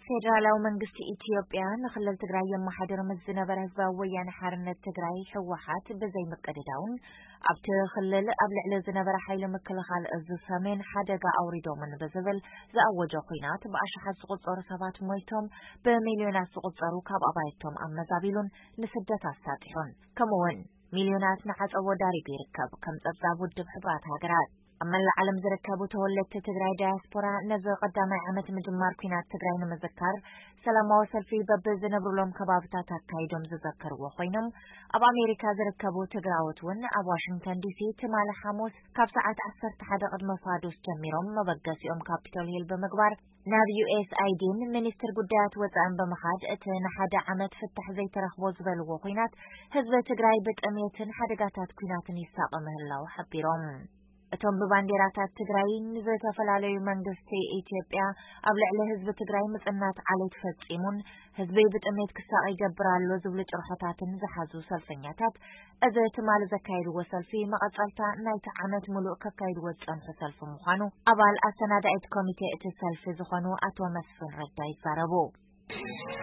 ፌደራላዊ መንግስቲ ኢትዮጵያ ንክልል ትግራይ የመሓድር ምስ ዝነበረ ህዝባዊ ወያነ ሓርነት ትግራይ፣ ህወሓት፣ ብዘይምቅድዳውን ኣብቲ ክልል ኣብ ልዕሊ ዝነበረ ሓይሊ ምክልኻል እዚ ሰሜን ሓደጋ ኣውሪዶምን ብዝብል ዝኣወጆ ኲናት ብኣሽሓት ዝቑጸሩ ሰባት ሞይቶም፣ ብሚልዮናት ዝቑጸሩ ካብ ኣባይቶም ኣመዛቢሉን ንስደት ኣሳጢሑን፣ ከምኡውን ሚልዮናት ንዓጸቦ ዳሪጉ ይርከብ፣ ከም ጸብጻብ ውድብ ሕቡራት ሃገራት። ኣብ መላእ ዓለም ዝርከቡ ተወለድቲ ትግራይ ዳያስፖራ ነዚ ቀዳማይ ዓመት ምጅማር ኲናት ትግራይ ንምዝካር ሰላማዊ ሰልፊ በብዝነብሩሎም ከባብታት ኣካይዶም ዝዘከርዎ ኮይኖም፣ ኣብ ኣሜሪካ ዝርከቡ ትግራዎት እውን ኣብ ዋሽንግተን ዲሲ ትማሊ ሓሙስ ካብ ሰዓት ዓሰርተ ሓደ ቅድሚ ፋዱስ ጀሚሮም መበገሲኦም ካፒቶል ሂል ብምግባር ናብ ዩ ኤስ ኣይ ዲን ሚኒስትር ጉዳያት ወፃእን ብምኻድ እቲ ንሓደ ዓመት ፍታሕ ዘይተረኽቦ ዝበልዎ ኲናት ህዝቢ ትግራይ ብጥሜትን ሓደጋታት ኲናትን ይሳቐ ምህላው ሓቢሮም። እቶም ብባንዴራታት ትግራይ ንዝተፈላለዩ መንግስቲ ኢትዮጵያ ኣብ ልዕሊ ህዝቢ ትግራይ ምጽናት ዓሌት ፈጺሙን ህዝቢ ብጥሜት ክሳቐ ይገብር ኣሎ ዝብሉ ጭርሖታትን ዝሓዙ ሰልፈኛታት፣ እዚ ትማሊ ዘካየድዎ ሰልፊ መቐጸልታ ናይቲ ዓመት ሙሉእ ከካይድዎ ዝጸንሑ ሰልፊ ምዃኑ ኣባል ኣሰናዳኢት ኮሚቴ እቲ ሰልፊ ዝኾኑ ኣቶ መስፍን ረዳ ይዛረቡ።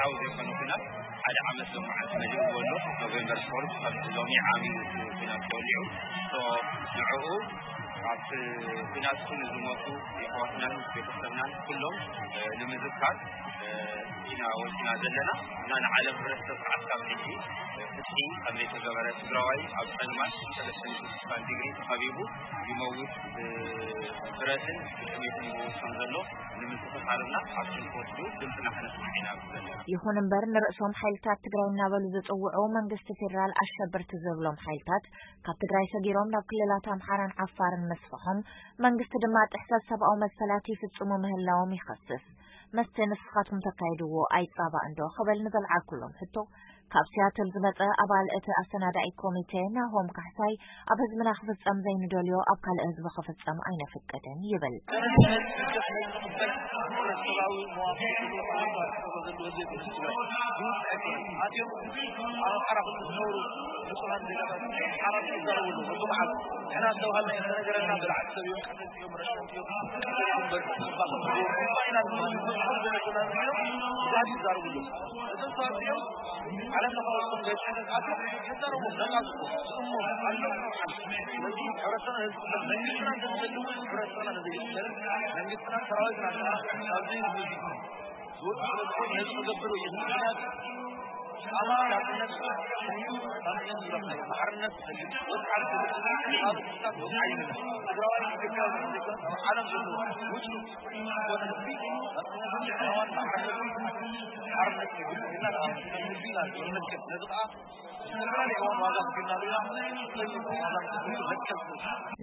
ሓው ዘይኮነ ኲናት ሓደ ዓመት ሎመዓልቲ መሊእዎ ኣሎ። ኖቬምበር ፎርዝ ካብቲ ሎሚ ዓብዩ እቲ ኲናት ተወሊዑ። ሶ ንዕኡ ኣብቲ ኲናት ኩሉ ዝሞቱ የሕዋትናን ቤተሰብናን ኩሎም፣ እ፣ ንምዝካር፣ እ፣ ኢና ወፂና ዘለና። እና ንዓለም ሕብረተሰብ ከዓ ካብ ሕጂ፣ እ፣ ፍትሒ ከም ዘይተገበረ፣ ትግራዋይ ኣብ ፀልማት ሰለስተ ሚእቲ ስሳን ዲግሪ ተኸቢቡ ይመውት፣ እ፣ ብረትን ብጥሜትን ይመውት ከም ዘሎ ንምዝኽኻርና ኣብቲ ንክወስዱ ድምፅና ከነስምዕ ኢና ዘለና። ይኹን እምበር ንርእሶም ሓይልታት ትግራይ እናበሉ ዝፅውዑ መንግስቲ ፌዴራል ኣሸበርቲ ዝብሎም ሓይልታት ካብ ትግራይ ሰጊሮም ናብ ክልላት ኣምሓራን ዓፋርን ምስፋሖም መንግስቲ ድማ ጥሕሰት ሰብኣዊ መሰላት ይፍፅሙ ምህላዎም ይኸስስ። መስተ ንስኻትኩም ተካይድዎ ኣይፃባእ እንዶ ክብል ንዘልዓልኩሎም ሕቶ ካብ ሲያትል ዝመጸ ኣባል እቲ ኣሰናዳኢ ኮሚቴ ናሆም ካሕሳይ ኣብ ህዝብና ክፍጸም ዘይንደልዮ ኣብ ካልእ ህዝቢ ክፍጸም ኣይነፍቅድን ይብል።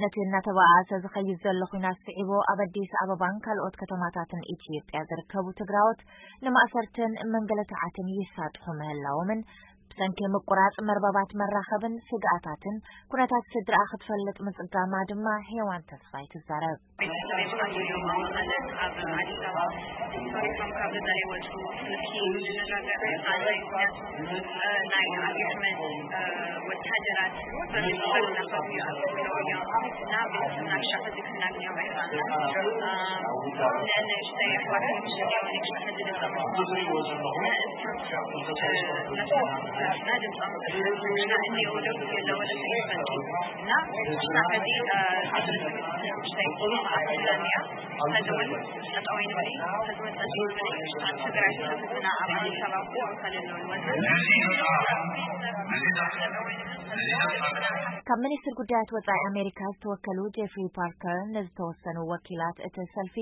ነቲ እናተባኣሰ ዝኸይድ ዘሎ ኲናት ስዒቡ ኣብ ኣዲስ ኣበባን ካልኦት ከተማታትን ኢትዮጵያ ዝርከቡ ትግራዎት ንማእሰርትን ምንግልታዓትን ይሳጥሑ ምህላዎምን ብሰንኪ ምቁራፅ መርበባት መራኸብን ስግኣታትን ኩነታት ስድራኣ ክትፈልጥ ምፅጋማ ድማ ሄዋን ተስፋይ ትዛረብ። ቤተሰበይ ብቐሊሉ ማለት ኣብ ኣዲስ ኣበባ ተሪፎም ካብ ገዛ ይወፁ። ስልኪ ዝነጋገር ኣለ። ምክንያቱ፣ እ፣ ናይ ኣብይ ኣሕመድ፣ እ፣ ወታደራት በብዝኾነ ናኸዱ ይኣትዉ እዮም። እና ቤተሰብና ሻዕ ሕዚ ክናግንዮም ኣይኽኣልናን። እ፣ ንእሽተይ ኣሕዋት ምሽት እዮም ንእሽተይ ሕዚ ድምፆም ንእስቶም፣ እ፣ ነቶም ስድራና ድምፆም ንሕና እንየው ደስ የለ ወደ ሰይፈልኪ። እና ንሕና ሕዚ፣ እ፣ ንእሽተይ ኣፍሪላን እያ። ሕዚ እውን ጠጠው ኣይንበል፣ ሕዚ እውን ጸጥ ኣይንበል። ኣብ ትግራይ ተሰብስብና ኣብ ኣዲስ ኣበባ ክልል ወዘተ። ካብ ሚኒስትር ጉዳያት ወጻኢ ኣሜሪካ ዝተወከሉ ጄፍሪ ፓርከር ንዝተወሰኑ ወኪላት እቲ ሰልፊ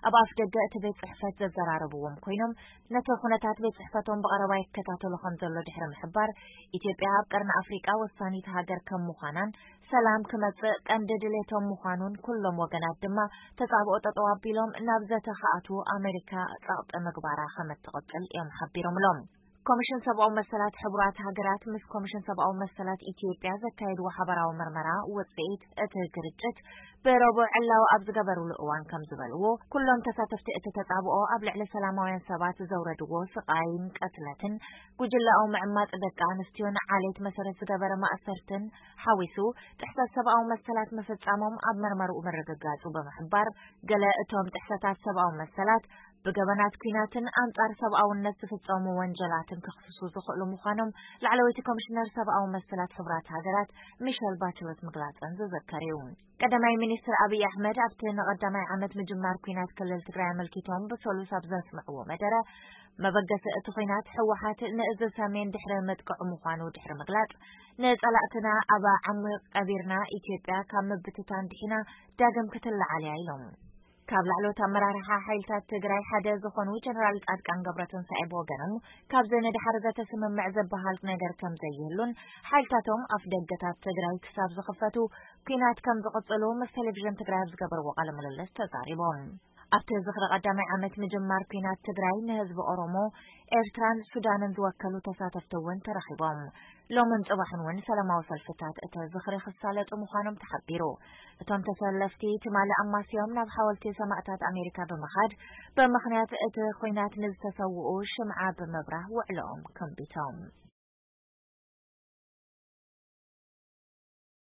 ኣብ ኣፍ ደገ እቲ ቤት ጽሕፈት ዘዘራረብዎም ኮይኖም፣ ነቲ ኩነታት ቤት ጽሕፈቶም ብቐረባ ይከታተሉ ከም ዘሎ ድሕሪ ምሕባር፣ ኢትዮጵያ ኣብ ቀርኒ ኣፍሪቃ ወሳኒት ሃገር ከም ምዃናን ሰላም ክመጽእ ቀንዲ ድሌቶም ምዃኑን ኩሎም ወገናት ድማ ተጻብኦ ጠጠው ኣቢሎም ናብ ዘተ ክኣትዉ ኣሜሪካ ጸቕጢ ምግባራ ከም እትቕጽል እዮም ሓቢሮምሎም። ኮሚሽን ሰብኣዊ መሰላት ሕቡራት ሃገራት ምስ ኮሚሽን ሰብኣዊ መሰላት ኢትዮጵያ ዘካየድዎ ሓበራዊ መርመራ ውጽኢት እቲ ግርጭት ብረቡዕ ዕላዊ ኣብ ዝገበሩሉ እዋን ከም ዝበልዎ፣ ኩሎም ተሳተፍቲ እቲ ተጻብኦ ኣብ ልዕሊ ሰላማውያን ሰባት ዘውረድዎ ስቓይን ቅትለትን፣ ጉጅለኣዊ ምዕማጽ ደቂ ኣንስትዮን ዓሌት መሰረት ዝገበረ ማእሰርትን ሓዊሱ ጥሕሰት ሰብኣዊ መሰላት ምፍጻሞም ኣብ መርመርኡ ምርግጋጹ ብምሕባር፣ ገለ እቶም ጥሕሰታት ሰብኣዊ መሰላት ብገበናት ኲናትን ኣንጻር ሰብኣውነት ዝፍጸሙ ወንጀላትን ክኽስሱ ዝኽእሉ ምዃኖም ላዕለወይቲ ኮሚሽነር ሰብኣዊ መሰላት ሕቡራት ሃገራት ሚሸል ባችለት ምግላጸን ዝዝከር እዩ። ቀዳማይ ሚኒስትር ኣብይ ኣሕመድ ኣብቲ ንቐዳማይ ዓመት ምጅማር ኲናት ክልል ትግራይ ኣመልኪቶም ብሰሉስ ኣብ ዘስምዕዎ መደረ፣ መበገሲ እቲ ኲናት ህወሓት ንእዚ ሰሜን ድሕሪ ምጥቅዑ ምዃኑ ድሕሪ ምግላጽ፣ ንጸላእትና ኣብ ዓሚቕ ቀቢርና ኢትዮጵያ ካብ ምብትታን ድሒና ዳግም ክትለዓል እያ ኢሎም። ካብ ላዕለዎት ኣመራርሓ ሓይልታት ትግራይ ሓደ ዝኾኑ ጀነራል ጻድቃን ገብረትንሳኤ ብወገኖም፣ ካብዚ ንድሓር ዘተስምምዕ ዝበሃል ነገር ከም ዘይህሉን ሓይልታቶም ኣፍ ደገታት ትግራይ ክሳብ ዝኽፈቱ ኲናት ከም ዝቕጽሉ ምስ ቴሌቪዥን ትግራይ ኣብ ዝገበርዎ ቃለ ምልልስ ተዛሪቦም። ኣብቲ ዝኽሪ ቀዳማይ ዓመት ምጅማር ኲናት ትግራይ ንህዝቢ ኦሮሞ፣ ኤርትራን ሱዳንን ዝወከሉ ተሳተፍቲ እውን ተረኺቦም። ሎምን ጽባሕን እውን ሰላማዊ ሰልፍታት እቲ ዝኽሪ ክሳለጡ ምዃኖም ተሓቢሩ። እቶም ተሰለፍቲ ትማሊ ኣማስዮም ናብ ሓወልቲ ሰማእታት ኣሜሪካ ብምኻድ ብምኽንያት እቲ ኲናት ንዝተሰውኡ ሽምዓ ብምብራህ ውዕሎኦም ከንቢቶም።